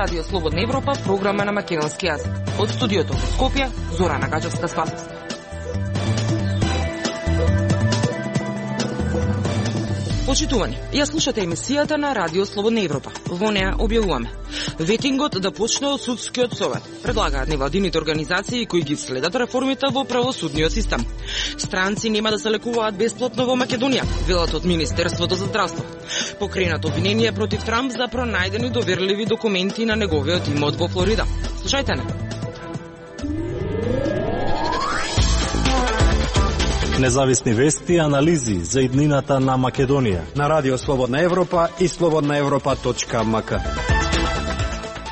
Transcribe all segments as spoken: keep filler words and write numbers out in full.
Радио Слободна Европа, програма на македонски јазик. Од студиото во Скопје, Зорана Гаџевска-Спасовска. Почитувани, ја слушате емисијата на Радио Слободна Европа. Во неа објавуваме ветингот да почне од судскиот совет. Предлагаат невладините организации кои ги следат реформите во правосудниот систем. Странци нема да се лекуваат бесплатно во Македонија, велат од Министерството за здравство. Покренато обвинение против Трамп за пронајдени доверливи документи на неговиот имот во Флорида. Слушајте не. Независни вести и анализи за иднината на Македонија на Радио Слободна Европа и слободна европа точка м к.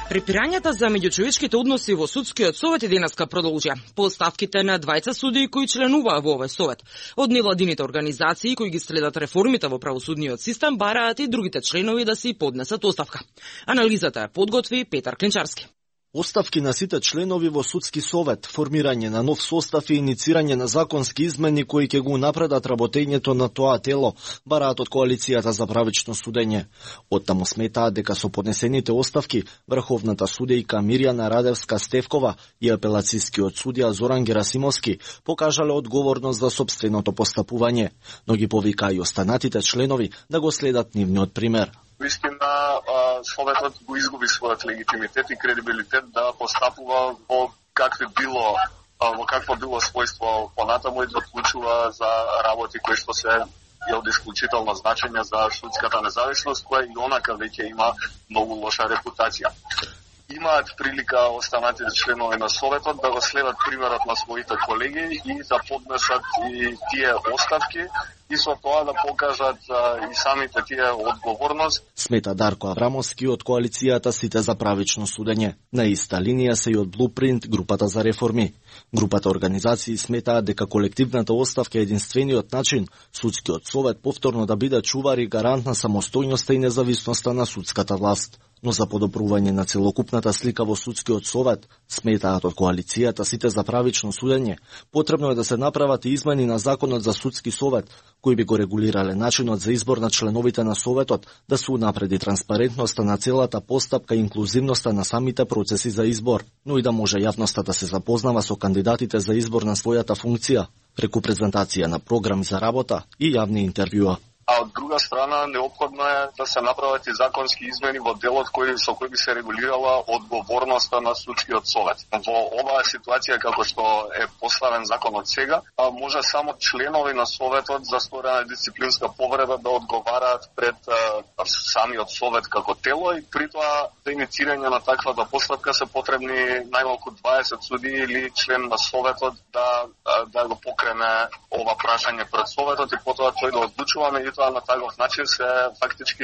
Препирањата за меѓучовечките односи во судскиот совет и денеска продолжија. По оставките на двајца судии кои членуваа во овој совет. Од невладините организации кои ги следат реформите во правосудниот систем бараат и другите членови да си поднесат оставка. Анализата ја подготви Петар Клинчарски. Оставки на сите членови во судски совет, формирање на нов состав и иницирање на законски измени кои ќе го напредат работењето на тоа тело, бараат од коалицијата за правично судење. Оттаму сметаат дека со поднесените оставки врховната судејка Мирјана Радевска-Стевкова и апелацискиот судија Зоран Герасимовски покажале одговорност за сопственото постапување, но ги повика и останатите членови да го следат нивниот пример. Вистина, советот го изгуби својот легитимитет и кредибилитет да постапува во какви било во какво било својство понатаму и да одлучува за работи кои што се од исклучително значење за судската независност, која и онака веќе има многу лоша репутација. Имаат прилика останатите членови на советот да го следат примерот на своите колеги и да поднесат и тие оставки и со тоа да покажат а, и самите тие одговорност. Смета Дарко Аврамовски од коалицијата Сите за правично судење. На иста линија се и од Blueprint, групата за реформи. Групата организации сметаат дека колективната оставка е единствениот начин судскиот совет повторно да биде чувар и гарант на самостојноста и независноста на судската власт. Но за подобрување на целокупната слика во судскиот совет, сметаат од коалицијата Сите за правично судење, потребно е да се направат и измени на законот за судски совет, кои би го регулирале начинот за избор на членовите на советот, да се унапреди транспарентноста на целата постапка и инклузивноста на самите процеси за избор, но и да може јавноста да се запознава со кандидатите за избор на својата функција, преку презентација на програми за работа и јавни интервјуа. А од друга страна, неопходно е да се направат и законски измени во делот кој, со кој би се регулирала одговорноста на судскиот совет. Во оваа ситуација, како што е поставен законот сега, може само членови на советот за сторена дисциплинска повреда да одговараат пред а, самиот совет како тело и при тоа за иницирање на таквата постапка се потребни најмалку дваесет судии или член на советот да, да го покрене ова прашање пред советот и потоа тој да одлучува, меѓутоа на таков начин се фактички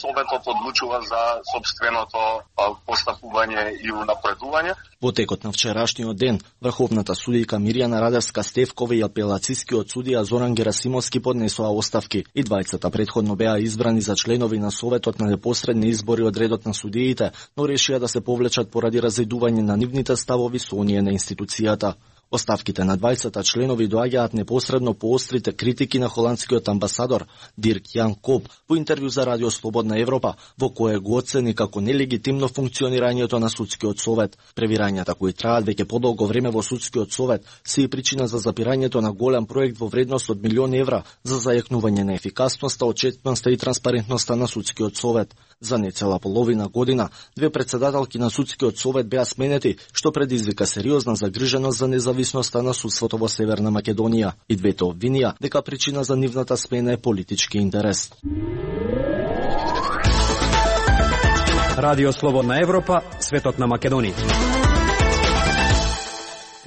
советот одлучува за собственото постапување и унапредување. Во текот на вчерашниот ден, врховната судијка Мирјана Радевска-Стевкова и апелацискиот судија Зоран Герасимовски поднесоа оставки и двајцата претходно беа избрани за членови на советот на непосредни избори од редот на судиите, но решија да се повлечат поради разидување на нивните ставови со оние на институцијата. Оставките на двајцата членови доаѓаат непосредно по острите критики на холандскиот амбасадор Дирк Јан Коп во интервју за Радио Слободна Европа, во кое го оцени како нелегитимно функционирањето на судскиот совет. Превирањата кои траат веќе подолго време во судскиот совет се и причина за запирањето на голем проект во вредност од милион евра за зајакнување на ефикасноста, отчетноста и транспарентноста на судскиот совет. За нецела половина година, две председателки на судскиот совет беа сменети, што предизвика сериозна загриженост за независноста на судството во Северна Македонија. И двете обвинија дека причина за нивната смена е политички интерес. Радио Слободна Европа, светот на Македонија.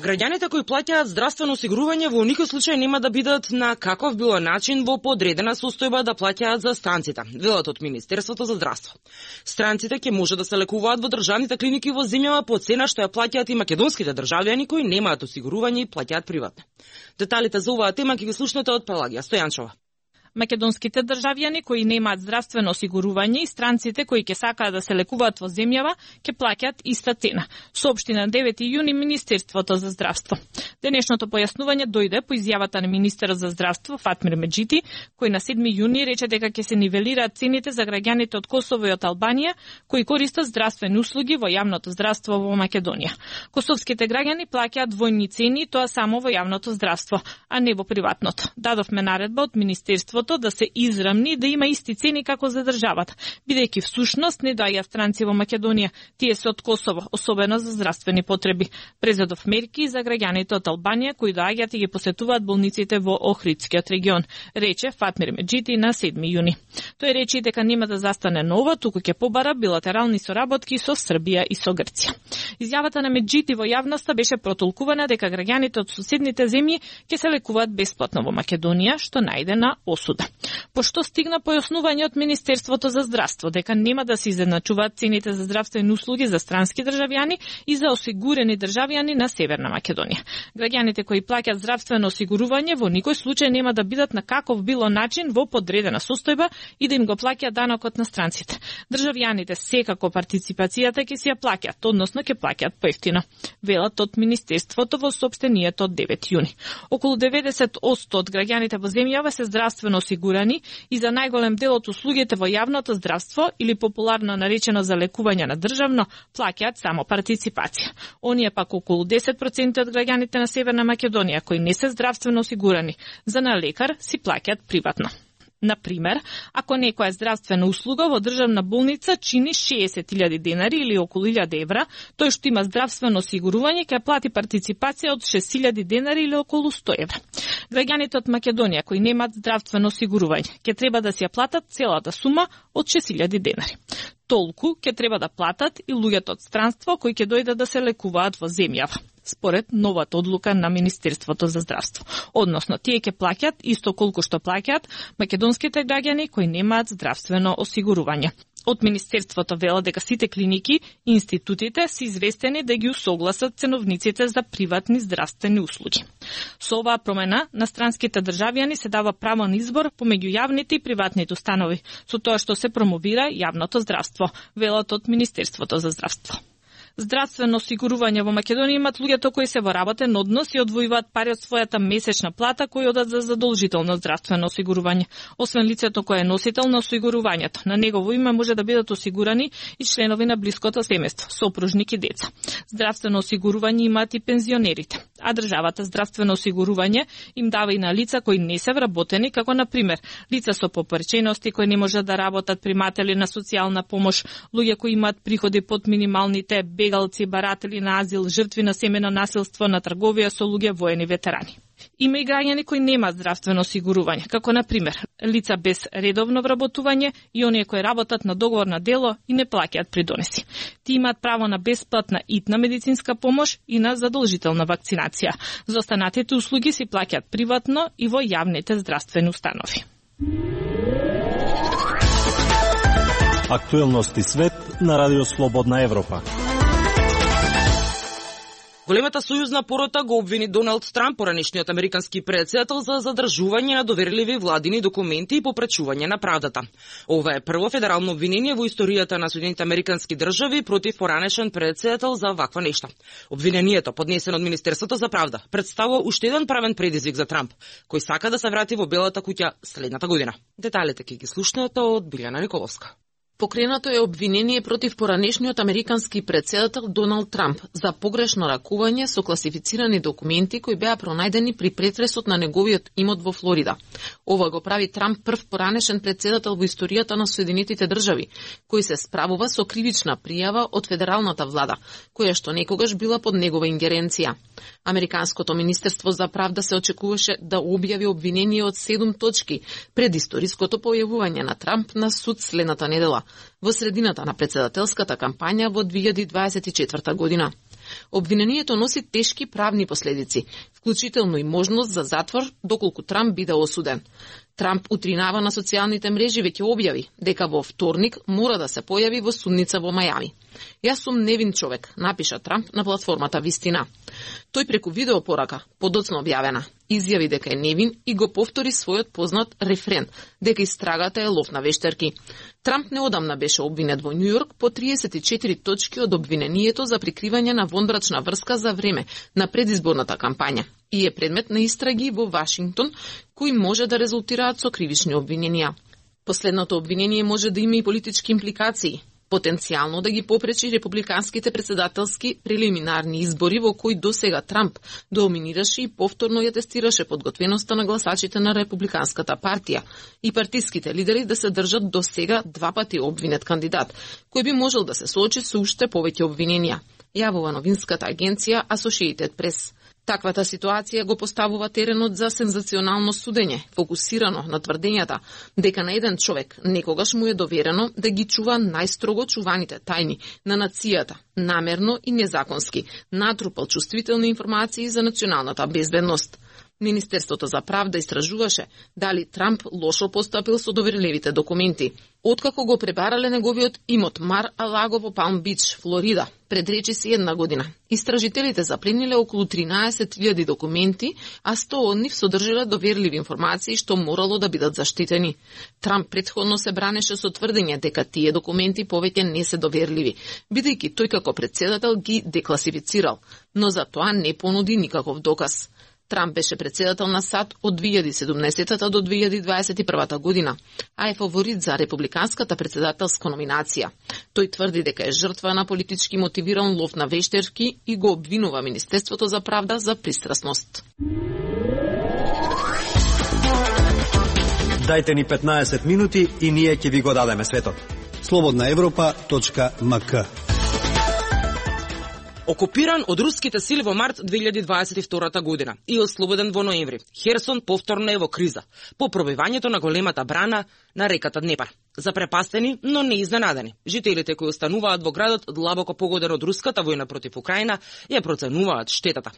Граѓаните кои плаќаат здравствено осигурување во никој случај нема да бидат на каков било начин во подредена состојба да плаќаат за странците, велат од Министерството за здравство. Странците ќе може да се лекуваат во државните клиники во земјава по цена што ја плаќаат и македонските државјани кои немаат осигурување и плаќаат приватно. Деталите за оваа тема ќе ги слушнете од Пелагија Стојанчова. Македонските државјани кои немаат здравствено осигурување и странците кои ќе сакаат да се лекуваат во земјава ќе плаќаат иста цена, соопшти на девети јуни Министерството за здравство. Денешното појаснување дојде по изјавата на министерот за здравство Фатмир Меджити, кој на седми јуни рече дека ќе се нивелираат цените за граѓаните од Косово и од Албанија кои користат здравствени услуги во јавното здравство во Македонија. Косовските граѓани плаќаат двојни цени, тоа само во јавното здравство, а не во приватното. Дадовме наредба од Министерството да се израмни да има исти цени како за државата, бидејќи всушност не доаѓаат странци во Македонија, тие се од Косово, особено за здравствени потреби. Презедов мерки за граѓаните од Албанија кои доаѓаат и ги посетуваат болниците во Охридскиот регион, рече Фатмир Меджити на седми јуни. Тој рече дека нема да застане нова, туку ќе побара билатерални соработки со Србија и со Грција. Изјавата на Меджити во јавноста беше протолкувана дека граѓаните од суседните земји ќе се лекуваат бесплатно во Македонија, што најде на осуда. Пошто стигна појаснување од Министерството за здравство дека нема да се изедначуваат цените за здравствени услуги за странски државјани и за осигурени државјани на Северна Македонија. Граѓаните кои плаќаат здравствено осигурување во никој случај нема да бидат на каков било начин во подредена состојба и да им го плаќаат данокот на странците. Државјаните секако партиципацијата ќе си ја плаќаат, односно ќе плаќаат поевтино, велат од Министерството во соопштението од девети јуни. Околу деветдесет одсто од граѓаните во земјава се здравствено осигурани и за најголем дел од услугите во јавното здравство или популарно наречено за лекување на државно плаќаат само партиципација. Оние пак околу десет проценти од граѓаните на Северна Македонија кои не се здравствено осигурани за на лекар си плаќаат приватно. Например, ако некоја здравствена услуга во државна болница чини шеесет илјади денари или околу илјада евра, тој што има здравствено осигурување ќе плати партиципација од шест илјади денари или околу сто евра. Граѓаните од Македонија кои немаат здравствено осигурување ќе треба да си ја платат целата сума од шест илјади денари. Толку ќе треба да платат и луѓето од странство кои ќе дојдат да се лекуваат во земјава, според новата одлука на Министерството за здравство. Односно, тие ќе плаќаат исто колку што плаќаат македонските граѓани кои немаат здравствено осигурување. Од Министерството вела дека сите клиники и институтите се известени да ги усогласат ценовниците за приватни здравствени услуги. Со оваа промена на странските државјани се дава право на избор помеѓу јавните и приватните установи, со тоа што се промовира јавното здравство, велат од Министерството за здравство. Здравствено осигурување во Македонија имат луѓето кои се во работен однос и одвојуваат пари од својата месечна плата кои одат за задолжително здравствено осигурување. Освен лицето кое е носител на осигурувањето, на негово име може да бидат осигурани и членови на блиското семејство, сопружник и деца. Здравствено осигурување имаат и пензионерите, а државата здравствено осигурување им дава и на лица кои не се вработени, како на пример лица со попречености кои не можат да работат, приматели на социјална помош, луѓе кои имаат приходи под минималните, бегалци, баратели на азил, жртви на семено насилство, на трговија со луѓе, воени ветерани. Има и граѓани кои немаат здравствено осигурување, како на пример лица без редовно вработување и оние кои работат на договор на дело и не плаќаат придонеси. Ти имаат право на бесплатна итна медицинска помош и на задолжителна вакцинација. За останатите услуги си плаќаат приватно и во јавните здравствени установи. Актуелности свет на Радио Слободна Европа. Големата сојузна порота го обвини Доналд Трамп, поранешниот американски претседател, за задржување на доверливи владини документи и попречување на правдата. Ова е прво федерално обвинение во историјата на Соединетите американски држави против поранешен претседател за ваква нешта. Обвинението, поднесено од Министерството за правда, представува уште еден правен предизвик за Трамп, кој сака да се врати во Белата куќа следната година. Деталите ќе ги слушнете од Билјана Николовска. Покренато е обвинение против поранешниот американски претседател Доналд Трамп за погрешно ракување со класифицирани документи кои беа пронајдени при претресот на неговиот имот во Флорида. Ова го прави Трамп прв поранешен претседател во историјата на Соединетите држави, кој се справува со кривична пријава од федералната влада, која што некогаш била под негова ингеренција. Американското Министерство за правда се очекуваше да објави обвинение од седум точки пред историското појавување на Трамп на суд следната недела, во средината на претседателската кампања во две илјади дваесет и четврта година. Обвинението носи тешки правни последици, вклучително и можност за затвор доколку Трамп биде осуден. Трамп утринава на социјалните мрежи веќе објави дека во вторник мора да се појави во судница во Мајами. Јас сум невин човек, напиша Трамп на платформата Вистина. Тој преку видеопорака, подоцна објавена, изјави дека е невин и го повтори својот познат рефрен, дека истрагата е лов на вештерки. Трамп неодамна беше обвинет во Њујорк по триесет и четири точки од обвинението за прикривање на вонбрачна врска за време на предизборната кампања и е предмет на истраги во Вашингтон, кои може да резултираат со кривични обвиненија. Последното обвинение може да има и политички импликации, потенцијално да ги попречи републиканските председателски прелиминарни избори во кои досега Трамп доминираше и повторно ја тестираше подготвеноста на гласачите на републиканската партија и партиските лидери да се држат досега два пати обвинет кандидат, кој би можел да се соочи со уште повеќе обвиненија, јавува новинската агенција Associated Press. Таквата ситуација го поставува теренот за сензационално судење, фокусирано на тврдењата дека на еден човек некогаш му е доверено да ги чува најстрого чуваните тајни на нацијата, намерно и незаконски, натрупал чувствителни информации за националната безбедност. Министерството за правда истражуваше дали Трамп лошо постапил со доверливите документи, откако го пребарале неговиот имот Мар-а-Лаго во Палм Бич, Флорида, пред речиси една година. Истражителите заплениле околу тринаесет илјади документи, а сто од нив содржиле доверливи информации што морало да бидат заштитени. Трамп претходно се бранеше со тврдење дека тие документи повеќе не се доверливи, бидејќи тој како председател ги декласифицирал, но за тоа не понуди никаков доказ. Трамп беше председател на САД од две илјади и седумнаесета до две илјади дваесет и прва година, а е фаворит за републиканската председателска номинација. Тој тврди дека е жртва на политички мотивиран лов на вештерки и го обвинува Министерството за правда за пристрасност. Дајте ни петнаесет минути и ние ќе ви го дадеме светот. слободна европа точка ем ка. Окупиран од руските сили во март две илјади дваесет и втора година и ослободен во ноември, Херсон повторно е во криза по пробивањето на големата брана на реката Днепар. Запрепастени, но не изненадени, жителите кои остануваат во градот длабоко погоден од руската војна против Украина ја проценуваат штетата.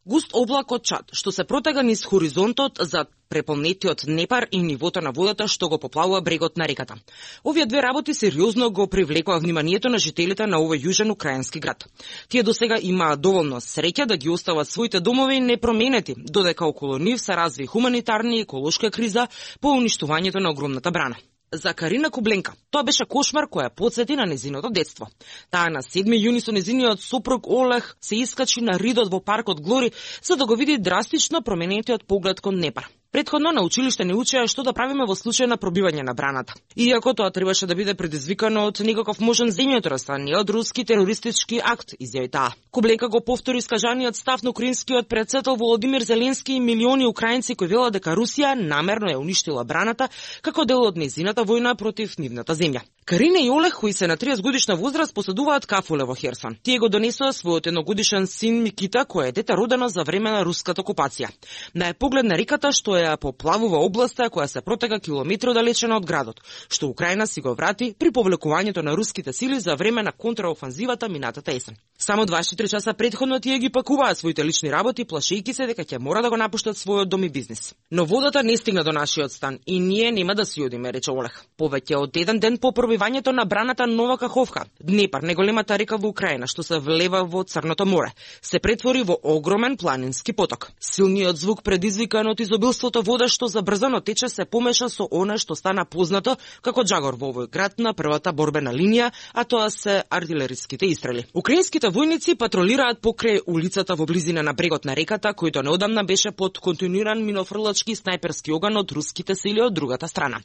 Густ облак од чад, што се протега низ хоризонтот за преполнетиот Днепар и нивото на водата што го поплавува брегот на реката. Овие две работи сериозно го привлекува вниманието на жителите на овој јужен украински град. Тие досега имаат доволно среќа да ги остават своите домови непроменети, додека околу нив се разви хуманитарна и еколошка криза по уништувањето на огромната брана. За Карина Кубленка, тоа беше кошмар која потсети на незиното детство. Таа на седми јуни со незиниот сопруг Олег се искачи на ридот во паркот Глори за да го види драстично променетиот поглед кон Днепар. Претходно на училиште не учеа што да правиме во случај на пробивање на браната. Иако тоа требаше да биде предизвикано од никаков можен земјотрес, а не од руски терористички акт, изјави таа. Кубленка го повтори искажаниот став на украинскиот председател Володимир Зеленски и милиони украинци кои велат дека Русија намерно ја уништила браната како дел од незината војна против нивната земја. Карина и Олег, кои се на триесет годишна возраст, поседуваат кафуле во Херсон. Тие го донесоа својот едногодишен син Микита, кој е дете родено за време на руската окупација. На поглед на реката што ја поплавува областа која се протега километри оддалечена од градот, што Украина си го врати при повлекувањето на руските сили за време на контраофанзивата минатата есен. Само дваесет и три часа претходно тие ги пакуваат своите лични работи, плашејќи се дека ќе мора да го напуштат својот дом и бизнис. Но водата не стигна до нашиот стан и ние нема да си одиме, рече Олег. Повеќе од еден ден по пробивањето на браната Нова Каховка, Днепар, најголемата река во Украина што се влева во Црното море, се претвори во огромен планински поток. Силниот звук предизвикан од изобилството вода што забрзано тече се помеша со она што стана познато како джагор во овој град на првата борбена линија, а тоа се артилериските истрели. Украинските војници патролираат покрај улицата во близина на брегот на реката, којто неодамна беше под континуиран минофрлачки снајперски оган од руските сили од другата страна.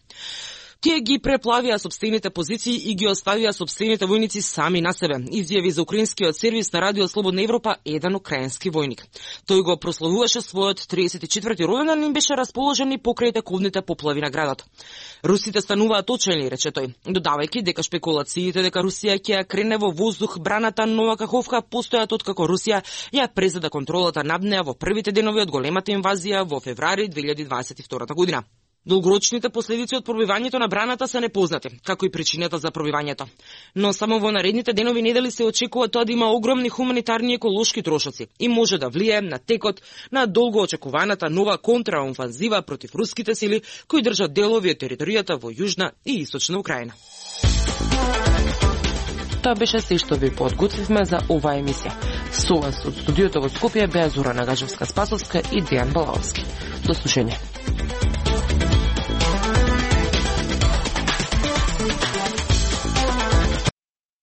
Тие ги преплавија сопствените позиции и ги оставија сопствените војници сами на себе, изјави за украинскиот сервис на Радио Слободна Европа еден украински војник. Тој го прославуваше својот триесет и четврти роденден и беше расположен и покрај тековните поплави на градот. Русите стануваат очени, рече тој, додавајќи дека шпекулациите дека Русија ќе ја крене во воздух браната Нова Каховка постојат откако Русија ја презеда контролата над неа во првите денови од големата инвазија во февруари две илјади дваесет и втора година. Долгорочните последици од пробивањето на браната се непознати, како и причината за пробивањето. Но само во наредните денови недели се очекува тоа да има огромни хуманитарни и еколошки трошоци и може да влијае на текот на долго очекуваната нова контраофанзива против руските сили кои држат делови од територијата во Јужна и Источна Украина. Тоа беше се што ви подготвивме за оваа емисија. Со вас од студиото во Скопје беа Зора Нагажевска-Спасовска и Дејан Балаовски. До слушање.